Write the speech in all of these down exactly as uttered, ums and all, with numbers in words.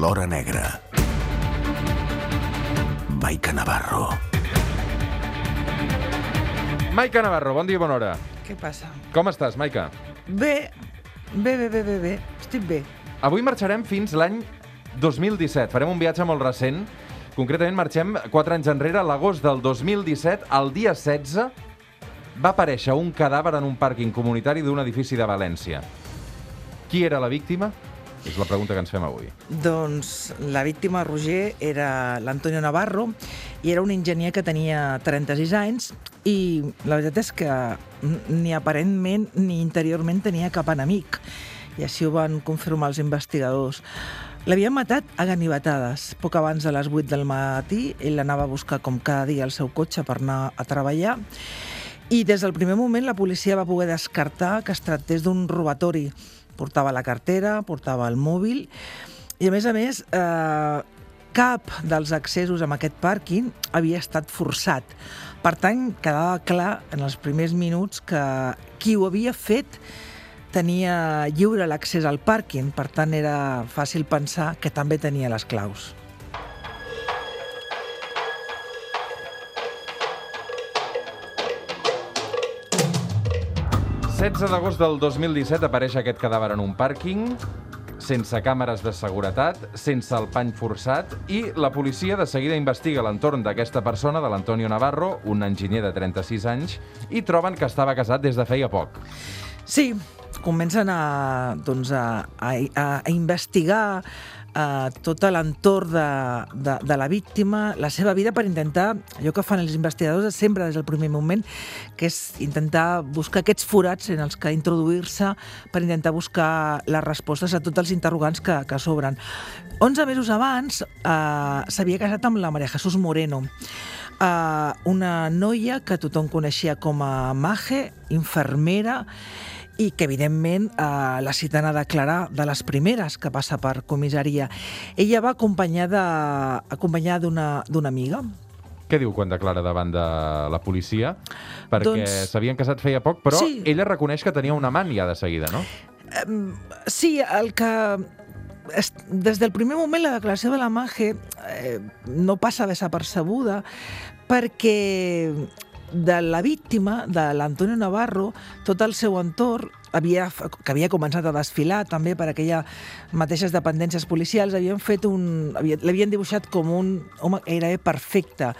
l'hora negra. Maica Navarro. Maica Navarro, bon dia i bona hora. Què passa? Com estàs, Maica? Bé, bé, bé, bé, bé, bé. Estic bé. Avui marxarem fins l'any dos mil disset. Farem un viatge molt recent. Concretament marxem quatre anys enrere. A l'agost del dos mil disset, el dia setze, va aparèixer un cadàver en un pàrquing comunitari d'un edifici de València. Qui era la víctima? És la pregunta que ens fem avui. Doncs la víctima, Roger, era l'Antonio Navarro i era un enginyer que tenia trenta-sis anys i la veritat és que ni aparentment ni interiorment tenia cap enemic. I així ho van confirmar els investigadors. L'havien matat a ganivetades. Poc abans de les vuit del matí, ell anava a buscar com cada dia el seu cotxe per anar a treballar i des del primer moment la policia va poder descartar que es tractés d'un robatori. Portava la cartera, portava el mòbil i, a més a més, eh, cap dels accessos a aquest pàrquing havia estat forçat. Per tant, quedava clar en els primers minuts que qui ho havia fet tenia lliure l'accés al pàrquing, per tant era fàcil pensar que també tenia les claus. setze d'agost del dos mil disset apareix aquest cadàver en un pàrquing, sense càmeres de seguretat, sense el pany forçat, i la policia de seguida investiga l'entorn d'aquesta persona, de l'Antonio Navarro, un enginyer de trenta-sis anys, i troben que estava casat des de feia poc. Sí, comencen a, doncs a, a, a investigar a tot l'entorn de, de, de la víctima, la seva vida, per intentar, allò que fan els investigadors sempre des del primer moment, que és intentar buscar aquests forats en els que introduir-se per intentar buscar les respostes a tots els interrogants que, que s'obren. Onze mesos abans eh, s'havia casat amb la María Jesús Moreno, eh, una noia que tothom coneixia com a Maje, infermera, i que, evidentment, eh, la citen a declarar de les primeres que passa per comissaria. Ella va acompanyada, acompanyada d'una d'una amiga. Què diu quan declara davant de la policia? Perquè Doncs... s'havien casat feia poc, però sí. Ella reconeix que tenia un amant ja de seguida, no? Eh, sí, el que... Des del primer moment la declaració de la Maje eh, no passa desapercebuda perquè de la víctima, de l'Antonio Navarro, tot el seu entorn, havia, que havia començat a desfilar també per aquelles mateixes dependències policials, havien fet un, havia, l'havien dibuixat com un home gairebé perfecte,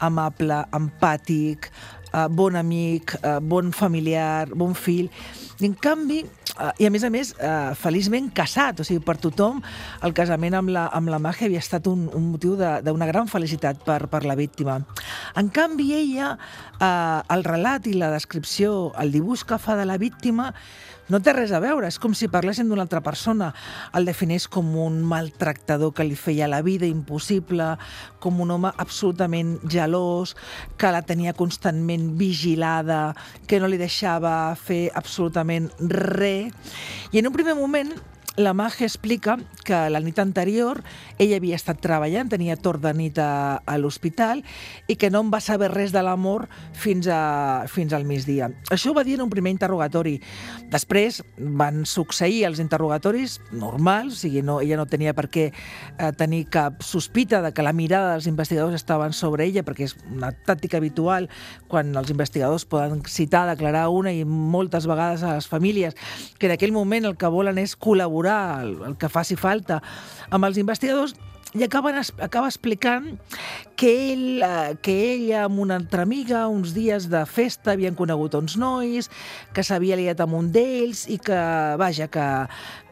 amable, empàtic, eh, bon amic, eh, bon familiar, bon fill. I en canvi, eh, i a més a més, eh, feliçment casat, o sigui, per tothom, el casament amb la, amb la Maje havia estat un, un motiu d'una gran felicitat per, per la víctima. En canvi, ella, eh, el relat i la descripció, el dibuix que fa de la víctima, no té res a veure, és com si parlessin d'una altra persona. El defineix com un maltractador que li feia la vida impossible, com un home absolutament gelós, que la tenia constantment vigilada, que no li deixava fer absolutament res. I en un primer moment la Maje explica que la nit anterior ella havia estat treballant, tenia torn de nit a, a l'hospital i que no en va saber res de l'amor fins, a, fins al migdia. Això ho va dir en un primer interrogatori. Després van succeir els interrogatoris normals, o sigui, no, ella no tenia per què eh, tenir cap sospita de que la mirada dels investigadors estaven sobre ella, perquè és una tàctica habitual quan els investigadors poden citar, declarar una i moltes vegades a les famílies que en aquell moment el que volen és col·laborar El, el que faci falta amb els investigadors, i acaben, acaba explicant que ell, eh, que ella amb una altra amiga uns dies de festa havien conegut uns nois, que s'havia liat amb un d'ells i que, vaja, que,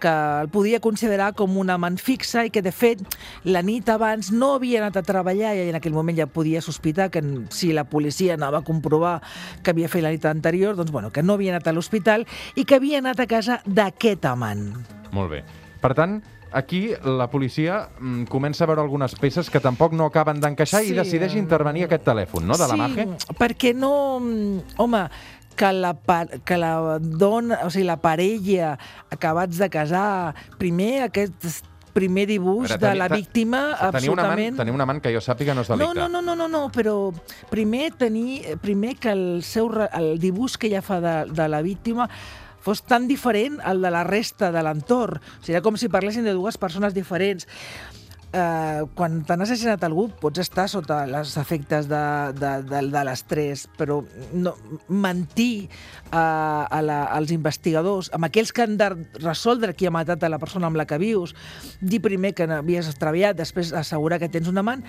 que el podia considerar com un amant fixe i que, de fet, la nit abans no havia anat a treballar i en aquell moment ja podia sospitar que si la policia anava a comprovar que havia fet la nit anterior, doncs, bueno, que no havia anat a l'hospital i que havia anat a casa d'aquest amant. Molt bé. Per tant, aquí la policia mm, comença a veure algunes peces que tampoc no acaben d'encaixar sí. I decideix intervenir aquest telèfon, no?, de la Maje. Sí, perquè no... Home, que la, que la dona, o sigui, la parella acabats de casar, primer aquest primer dibuix Ara, teni, de la víctima tenia absolutament... Tenia un amant que jo sàpiga no és delicte. No, no, no, no, no, però primer tenir, primer que el seu el dibuix que ella fa de, de la víctima fos tan diferent al de la resta de l'entorn. O sigui, era com si parlessin de dues persones diferents. Uh, quan t'han assassinat algú pots estar sota els efectes de, de, de, de l'estrès, però no, mentir uh, a la, als investigadors, amb aquells que han de resoldre qui ha matat a la persona amb la que vius, dir primer que havies extraviat, després assegurar que tens un amant,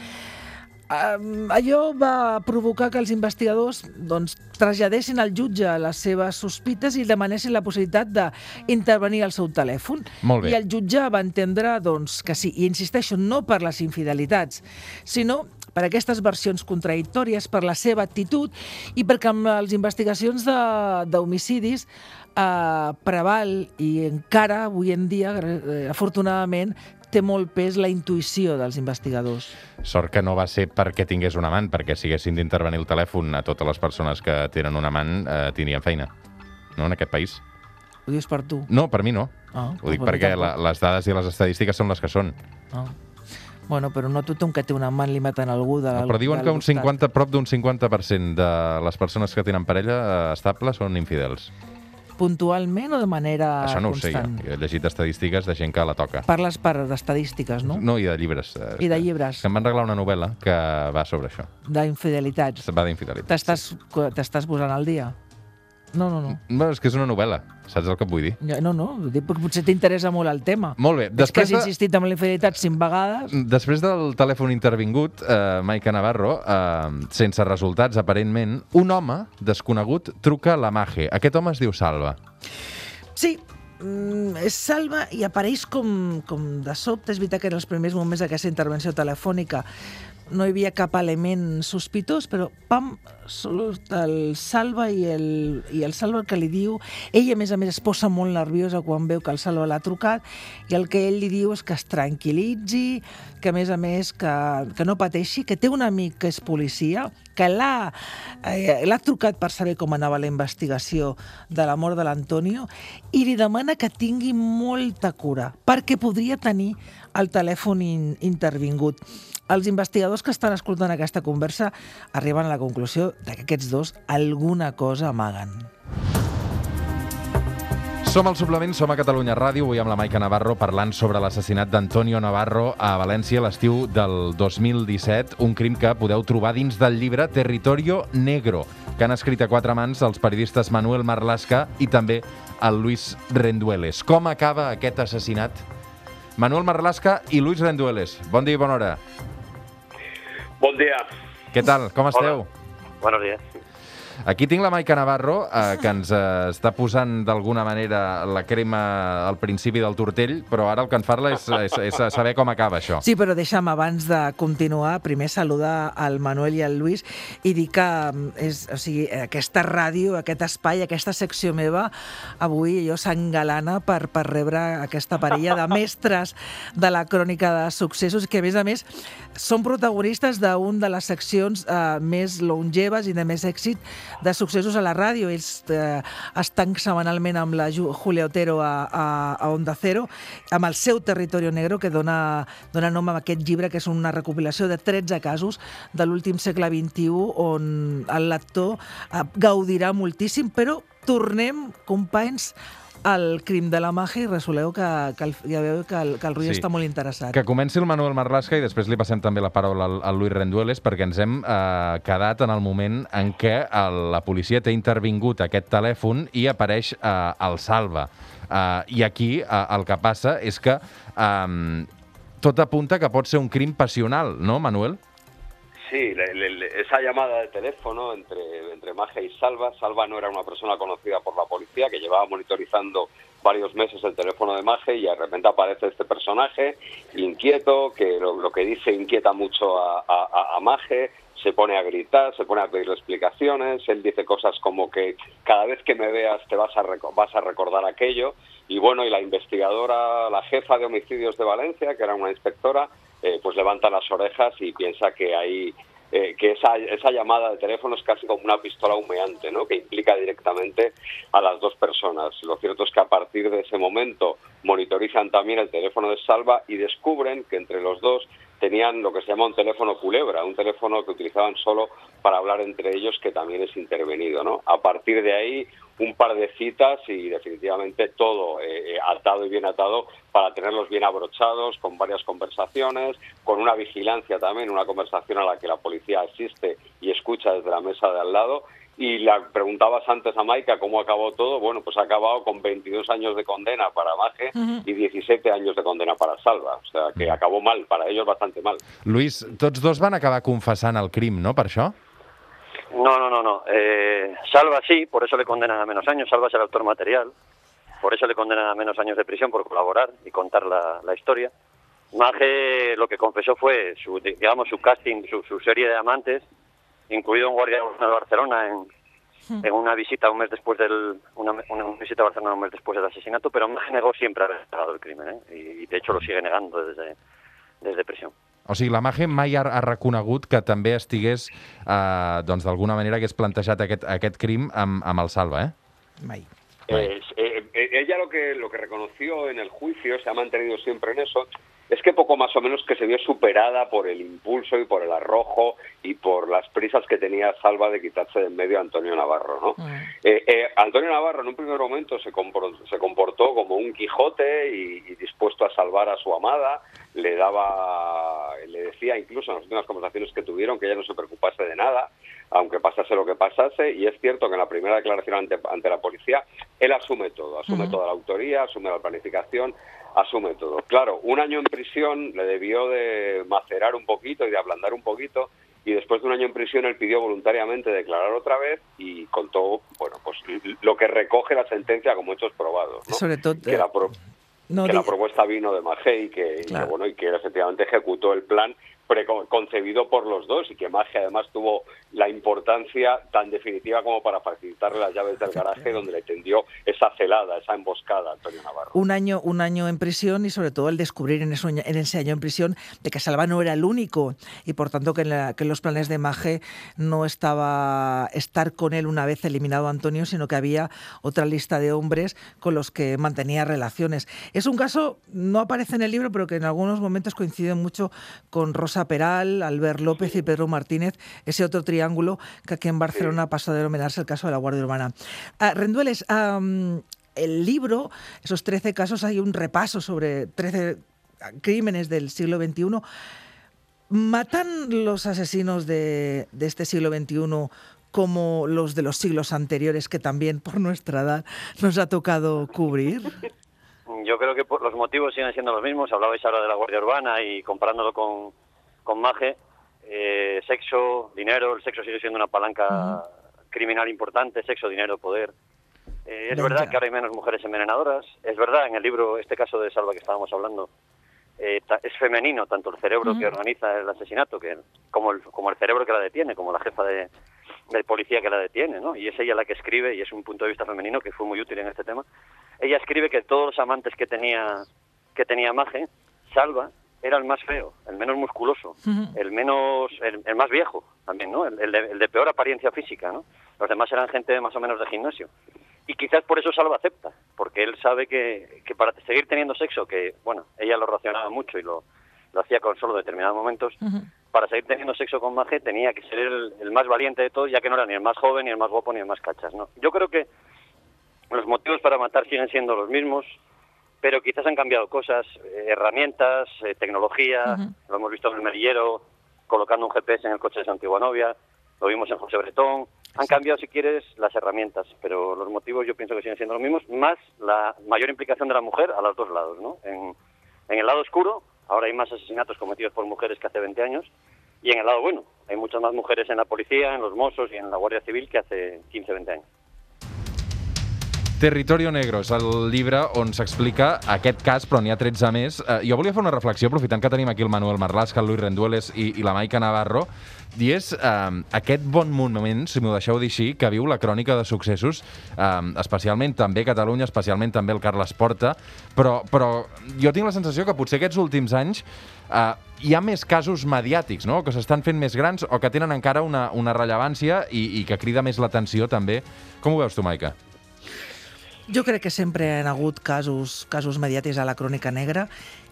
Uh, allò va provocar que els investigadors doncs, traslladessin al jutge les seves sospites i demanessin la possibilitat d'intervenir al seu telèfon. Molt bé. I el jutge va entendre doncs, que sí, i insisteixo, no per les infidelitats, sinó per aquestes versions contradictòries, per la seva actitud i perquè amb les investigacions d'homicidis eh, preval i encara avui en dia, eh, afortunadament, té molt pes la intuïció dels investigadors. Sort que no va ser perquè tingués un amant, perquè si haguessin d'intervenir el telèfon a totes les persones que tenen un amant, eh, tindrien feina, no, en aquest país. Ho dius per tu? No, per mi no. Ah, Ho dic per perquè mi la, les dades i les estadístiques són les que són. Ah. Bueno, però no tothom que té un amant li maten algú de No, però diuen que un cinquanta, prop d'un cinquanta per cent de les persones que tenen parella eh, estable són infidels. Puntualment o de manera Això no constant? ho sé jo. Jo he llegit estadístiques de gent que la toca. Parles per d'estadístiques, no? No, i de llibres. I de llibres. Que em van regalar una novel·la que va sobre això. D'infidelitats. Va d'infidelitats. T'estàs t'estàs posant al dia? No, no, no. No, és que és una novel·la, saps el que et vull dir? No, no, dic perquè potser t'interessa molt el tema. Molt bé. És que has de... insistit en la infidelitat cinc vegades. Després del telèfon intervingut, eh, Maica Navarro, eh, sense resultats, aparentment, un home desconegut truca a la Mage. Aquest home es diu Salva. Sí, mm, és Salva i apareix com, com de sobte. És veritat que en els primers moments d'aquesta intervenció telefònica no hi havia cap element sospitós, però pam, surt el Salva i el, i el Salva el que li diu... Ell, a més a més, es posa molt nerviosa quan veu que el Salva l'ha trucat i el que ell li diu és que es tranquil·litzi, que a més a més que, que no pateixi, que té un amic que és policia, que l'ha eh, l'ha trucat per saber com anava la investigació de la mort de l'Antonio i li demana que tingui molta cura perquè podria tenir el telèfon in, intervingut. Els investigadors que estan escoltant aquesta conversa arriben a la conclusió de que aquests dos alguna cosa amaguen. Som al Suplement, som a Catalunya Ràdio, avui amb la Maica Navarro parlant sobre l'assassinat d'Antonio Navarro a València l'estiu del dos mil disset, un crim que podeu trobar dins del llibre Territorio Negro, que han escrit a quatre mans els periodistes Manuel Marlaska i també el Luis Rendueles. Com acaba aquest assassinat? Manuel Marlaska i Luis Rendueles. Bon dia i bona hora. Bon dia. Què tal? Com esteu? Hola. Buenos días. Aquí tinc la Maica Navarro, eh, que ens eh, està posant d'alguna manera la crema al principi del tortell, però ara el que en parla és, és, és saber com acaba això. Sí, però deixa'm, abans de continuar, primer saludar al Manuel i al Luis i dir que és, o sigui, aquesta ràdio, aquest espai, aquesta secció meva, avui jo s'engalana per, per rebre aquesta parella de mestres de la crònica de successos, que a més a més són protagonistes d'un de les seccions eh, més longeves i de més èxit de successos a la ràdio. Ells eh, estan setmanalment amb la Julia Otero a, a, a Onda Cero, amb el seu Territorio Negro, que dona, dona nom a aquest llibre, que és una recopilació de tretze casos de l'últim segle vint-i-u, on el lector eh, gaudirà moltíssim, però tornem, companys, al crim de la Mage i resoleu que, que el, ja veu que el, que el Rui sí. està molt interessat. Que comenci el Manuel Marlaska i després li passem també la paraula al, al Luis Rendueles, perquè ens hem eh, quedat en el moment en què el, la policia té intervingut aquest telèfon i apareix eh, el Salva. Eh, I aquí eh, el que passa és que eh, tot apunta que pot ser un crim passional, no, Manuel? Sí, le, le, esa llamada de teléfono entre, entre Mage y Salva. Salva no era una persona conocida por la policía, que llevaba monitorizando varios meses el teléfono de Mage y de repente aparece este personaje inquieto, que lo, lo que dice inquieta mucho a, a, a Mage, se pone a gritar, se pone a pedir explicaciones, él dice cosas como que cada vez que me veas te vas a, vas a recordar aquello, y bueno, y la investigadora, la jefa de homicidios de Valencia, que era una inspectora, Eh, pues levanta las orejas y piensa que hay eh, que esa, esa llamada de teléfono es casi como una pistola humeante, ¿no? Que implica directamente a las dos personas. Lo cierto es que a partir de ese momento monitorizan también el teléfono de Salva y descubren que entre los dos tenían lo que se llama un teléfono culebra, un teléfono que utilizaban solo para hablar entre ellos, que también es intervenido, ¿no? A partir de ahí, un par de citas y definitivamente todo eh, atado y bien atado para tenerlos bien abrochados, con varias conversaciones, con una vigilancia también, una conversación a la que la policía asiste y escucha desde la mesa de al lado. Y la preguntabas antes a Maika cómo acabó todo. Bueno, pues ha acabado con veintidós años de condena para Maje uh-huh. y diecisiete años de condena para Salva. O sea, que acabó mal, para ellos bastante mal. Luis, tots dos van acabar confessant el crim, no, per això? No, no, no, no. Eh, Salva sí, por eso le condenan a menos años. Salva es el autor material. Por eso le condenan a menos años de prisión por colaborar y contar la, la historia. Maje lo que confesó fue su, digamos, su casting, su, su serie de amantes, incluido un guardia de Barcelona en, en una visita un mes después del una, una visita a Barcelona un mes después del asesinato, pero Maje negó siempre haber negado el crimen, ¿eh? y, y de hecho lo sigue negando desde, desde prisión. O sigui, la Maje mai ha, ha reconegut que també estigués, eh, doncs d'alguna manera hagués plantejat aquest, aquest crim amb, amb el Salva, eh? Mai. Eh, eh, eh, ella lo que, lo que reconoció en el juicio, se ha mantenido siempre en eso, es que poco más o menos que se vio superada por el impulso y por el arrojo y por las prisas que tenía Salva de quitarse de en medio a Antonio Navarro, ¿no? Mm. Eh, eh, Antonio Navarro en un primer momento se comportó, se comportó como un Quijote y, y dispuesto a salvar a su amada, le daba, le decía incluso en las últimas conversaciones que tuvieron que ella no se preocupase de nada, aunque pasase lo que pasase, y es cierto que en la primera declaración ante, ante la policía, él asume todo, asume uh-huh. toda la autoría, asume la planificación, asume todo. Claro, un año en prisión le debió de macerar un poquito y de ablandar un poquito, y después de un año en prisión él pidió voluntariamente declarar otra vez y contó, bueno, pues lo que recoge la sentencia como hechos probados, ¿no? Sobre todo... Que la pro- No, que la propuesta vino de Maje y que, claro. y que, bueno, y que efectivamente ejecutó el plan preconcebido por los dos y que Maje además tuvo la importancia tan definitiva como para facilitarle las llaves del garaje donde le tendió esa celada, esa emboscada a Antonio Navarro. Un año, un año en prisión y sobre todo el descubrir en, eso, en ese año en prisión de que Salva no era el único y por tanto que en, la, que en los planes de Maje no estaba estar con él una vez eliminado a Antonio, sino que había otra lista de hombres con los que mantenía relaciones. Es un caso, no aparece en el libro, pero que en algunos momentos coincide mucho con Rosa Peral, Albert López y Pedro Martínez, ese otro triángulo que aquí en Barcelona pasó a denominarse el caso de la Guardia Urbana. Uh, Rendueles, um, el libro, esos trece casos, hay un repaso sobre trece crímenes del siglo veintiuno. ¿Matan los asesinos de, de este siglo veintiuno como los de los siglos anteriores que también por nuestra edad nos ha tocado cubrir? Yo creo que los motivos siguen siendo los mismos. Hablabais ahora de la Guardia Urbana y comparándolo con, con Maje. Eh, sexo, dinero, el sexo sigue siendo una palanca uh-huh. criminal importante, sexo, dinero, poder. Eh, es Venga. verdad que ahora hay menos mujeres envenenadoras. Es verdad, en el libro, este caso de Salva que estábamos hablando, eh, ta, es femenino tanto el cerebro uh-huh. que organiza el asesinato que como el, como el cerebro que la detiene, como la jefa de, de policía que la detiene, ¿no? Y es ella la que escribe, y es un punto de vista femenino que fue muy útil en este tema. Ella escribe que todos los amantes que tenía que tenía Maje, Salva, era el más feo, el menos musculoso, uh-huh. el menos el, el más viejo también, ¿no? El, el, de, el de peor apariencia física, ¿no? Los demás eran gente más o menos de gimnasio. Y quizás por eso Salva acepta, porque él sabe que, que para seguir teniendo sexo, que, bueno, ella lo racionaba mucho y lo, lo hacía con solo determinados momentos, uh-huh. para seguir teniendo sexo con Maje tenía que ser el, el más valiente de todos, ya que no era ni el más joven, ni el más guapo, ni el más cachas, ¿no? Yo creo que los motivos para matar siguen siendo los mismos, pero quizás han cambiado cosas, eh, herramientas, eh, tecnología, uh-huh. lo hemos visto en el Merillero, colocando un G P S en el coche de su antigua novia, lo vimos en José Bretón. Han cambiado, si quieres, las herramientas, pero los motivos yo pienso que siguen siendo los mismos, más la mayor implicación de la mujer a los dos lados, ¿no? En, en el lado oscuro, ahora hay más asesinatos cometidos por mujeres que hace veinte años, y en el lado bueno, hay muchas más mujeres en la policía, en los Mossos y en la Guardia Civil que hace quince, veinte años. Territorio Negro és el llibre on s'explica aquest cas, però n'hi ha tretze més. Eh, jo volia fer una reflexió, aprofitant que tenim aquí el Manuel Marlaska, el Luis Rendueles i, i la Maika Navarro, i és eh, aquest bon moment, si m'ho deixeu dir així, que viu la crònica de successos, eh, especialment també Catalunya, especialment també el Carles Porta, però, però jo tinc la sensació que potser aquests últims anys eh, hi ha més casos mediàtics, no?, que s'estan fent més grans o que tenen encara una, una rellevància i, i que crida més l'atenció també. Com ho veus tu, Maika? Jo crec que sempre hi ha hagut casos, casos mediàtics a la crònica negra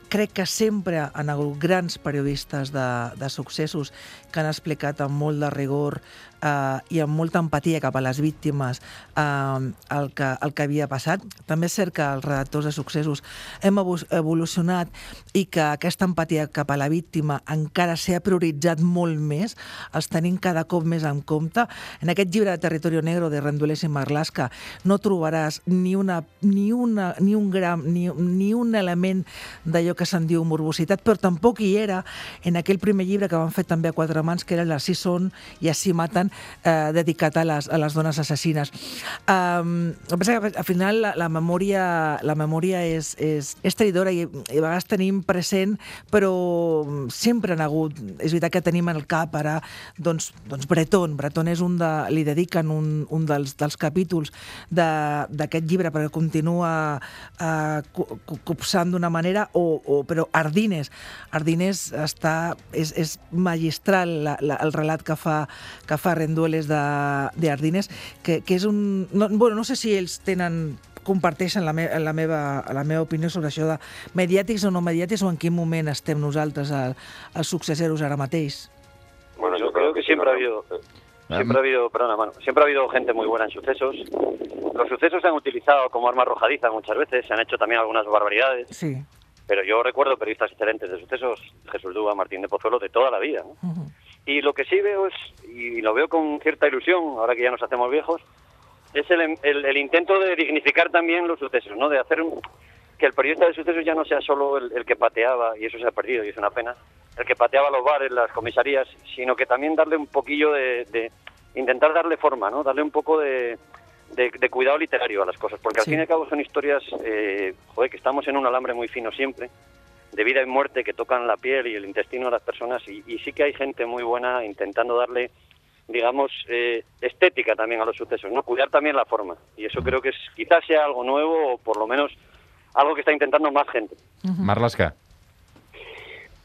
crec que sempre han hagut grans periodistes de, de successos que han explicat amb molt de rigor eh, i amb molta empatia cap a les víctimes eh, el, que, el que havia passat. També és cert que els redactors de successos hem evolucionat i que aquesta empatia cap a la víctima encara s'ha prioritzat molt més, els tenim cada cop més en compte. En aquest llibre de Territorio Negro de Rendueles i Marlaska no trobaràs ni, una, ni, una, ni un gram, ni, ni un element d'allò que se'n diu morbositat, però tampoc hi era en aquell primer llibre que van fer també a quatre mans, que era l'Ací són i així maten, eh, dedicat a les, a les dones assassines. Um, el que passa que al final la, la memòria, la memòria és, és, és traïdora i, i a vegades tenim present, però sempre han hagut, és veritat que tenim en el cap ara, doncs, doncs Breton. Breton és un de, li dediquen un, un dels, dels capítols d'aquest llibre perquè continua eh, copsant d'una manera, o, o, però Ardines, Ardines està, és, és magistral la, la, el relat que fa, que fa Rendueles de, de Ardines, que, que és un... No, bueno, no sé si ells tenen comparteixen la, me, la, meva, la meva opinió sobre això de mediàtics o no mediàtics, o en quin moment estem nosaltres els successeros ara mateix. Bueno, yo creo que siempre ha habido, siempre ha habido, perdona, mano, siempre ha habido gente muy buena en sucesos. Los sucesos se han utilizado como arma arrojadiza muchas veces, se han hecho también algunas barbaridades. Sí. Pero yo recuerdo periodistas excelentes de sucesos, Jesús Dúa, Martín de Pozuelo, de toda la vida, ¿no? Uh-huh. Y lo que sí veo es, y lo veo con cierta ilusión, ahora que ya nos hacemos viejos, es el, el, el intento de dignificar también los sucesos, ¿no? De hacer un, que el periodista de sucesos ya no sea solo el, el que pateaba, y eso se ha perdido y es una pena, el que pateaba los bares, las comisarías, sino que también darle un poquillo de, de intentar darle forma, ¿no? Darle un poco de, de, de cuidado literario a las cosas, porque al sí. fin y al cabo son historias, eh, joder, que estamos en un alambre muy fino siempre, de vida y muerte, que tocan la piel y el intestino de las personas, y, y sí que hay gente muy buena intentando darle, digamos, eh, estética también a los sucesos, ¿no? Cuidar también la forma, y eso creo que es, quizás sea algo nuevo, o por lo menos algo que está intentando más gente. Marlaska.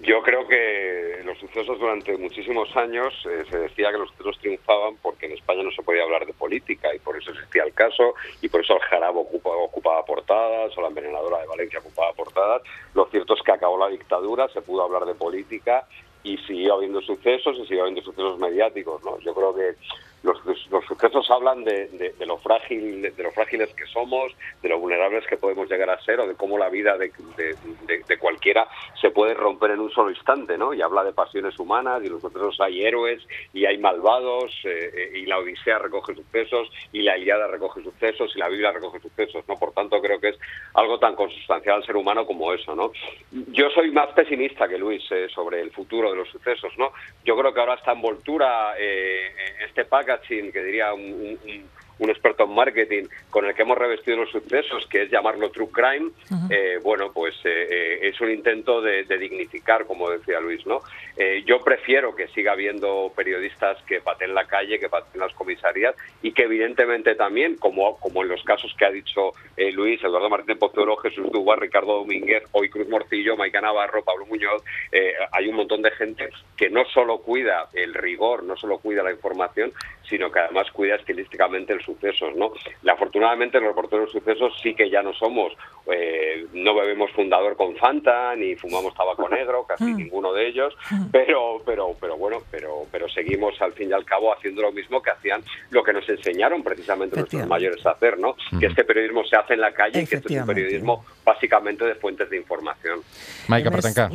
Yo creo que los sucesos durante muchísimos años eh, se decía que los sucesos triunfaban porque en España no se podía hablar de política, y por eso existía el caso, y por eso el Jarabo ocupaba, ocupaba portadas, o la envenenadora de Valencia ocupaba portadas. Lo cierto es que acabó la dictadura, se pudo hablar de política y siguió habiendo sucesos, y siguió habiendo sucesos mediáticos, ¿no? Yo creo que los, los sucesos hablan de, de, de lo frágil, de, de lo frágiles que somos, de lo vulnerables que podemos llegar a ser, o de cómo la vida de, de, de, de cualquiera se puede romper en un solo instante, ¿no? Y habla de pasiones humanas, y en los sucesos hay héroes y hay malvados, eh, y la Odisea recoge sucesos, y la Ilíada recoge sucesos, y la Biblia recoge sucesos, ¿no? Por tanto, creo que es algo tan consustancial al ser humano como eso, ¿no? Yo soy más pesimista que Luis eh, sobre el futuro de los sucesos, ¿no? Yo creo que ahora esta envoltura, eh, este packaging, que diría un, un, un experto en marketing, con el que hemos revestido los sucesos, que es llamarlo true crime, uh-huh. eh, bueno, pues eh, es un intento de, de dignificar, como decía Luis, ¿no? Eh, yo prefiero que siga habiendo periodistas que pateen la calle, que pateen las comisarías, y que evidentemente también, como, como en los casos que ha dicho eh, Luis, Eduardo Martín Pozuelo, Jesús Dúa, Ricardo Domínguez, hoy Cruz Morcillo, Maica Navarro, Pablo Muñoz, eh, hay un montón de gente que no solo cuida el rigor, no solo cuida la información, sino que además cuida estilísticamente el sucesos, ¿no? Afortunadamente los reporteros de sucesos sí que ya no somos, eh, no bebemos fundador con Fanta, ni fumamos tabaco negro, casi mm. ninguno de ellos, pero pero pero bueno, pero pero seguimos al fin y al cabo haciendo lo mismo que hacían, lo que nos enseñaron precisamente nuestros mayores a hacer, ¿no? Mm. Que este periodismo se hace en la calle, y que este es un periodismo bàsicamente de fuentes d'informació. Maica, per tancar.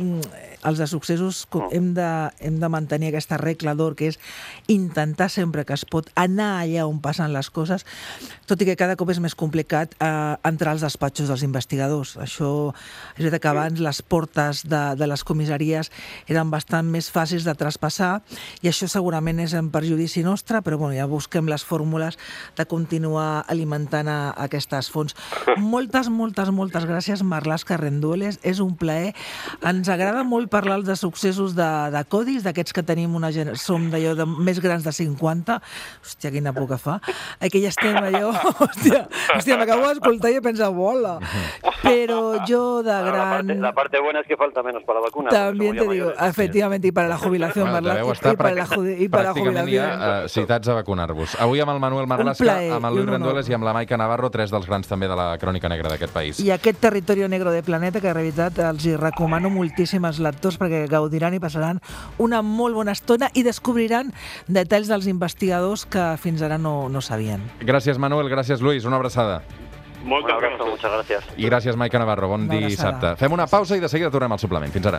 Els de successos hem de, hem de mantenir aquesta regla d'or, que és intentar sempre que es pot anar allà on passen les coses, tot i que cada cop és més complicat eh, entrar als despatxos dels investigadors. Això és veritat que abans les portes de, de les comissaries eren bastant més fàcils de traspassar, i això segurament és en perjudici nostre, però bueno, ja busquem les fórmules de continuar alimentant a, a aquestes fonts. Moltes, moltes, moltes gràcies, Marlaska, Rendueles. És un plaer. Ens agrada molt parlar de successos de, de codis, d'aquests que tenim una gent, som d'allò de més grans de cinquanta. Hòstia, quina por que fa. Que ja estem allò... Hòstia, hòstia m'acabo d'escoltar i he pensat, bola. Pero yo de Bueno, la, gran... parte, la parte buena es que falta menos para la vacuna. También te porque somos ya digo, mayores. efectivamente, y para la jubilación, Bueno, Marlaska, deveu estar y para la, judi- i per la pràcticament jubilació. ja uh, citats a vacunar-vos. Avui amb el Manuel Marlaska, plaer amb el i Luis un honor. Rendueles i amb la Maica Navarro, tres dels grans també de la crònica negra d'aquest país. I aquest territori negre de Planeta que he revisat els hi recomano moltíssim als lectors perquè gaudiran i passaran una molt bona estona i descobriran detalls dels investigadors que fins ara no, no sabien. Gràcies, Manuel, gràcies, Luis, una abraçada. Un abrazo, muchas gracias. I gràcies, Maica Navarro, bon Una abraçada. dissabte. Fem una pausa i de seguida tornem al suplement. Fins ara.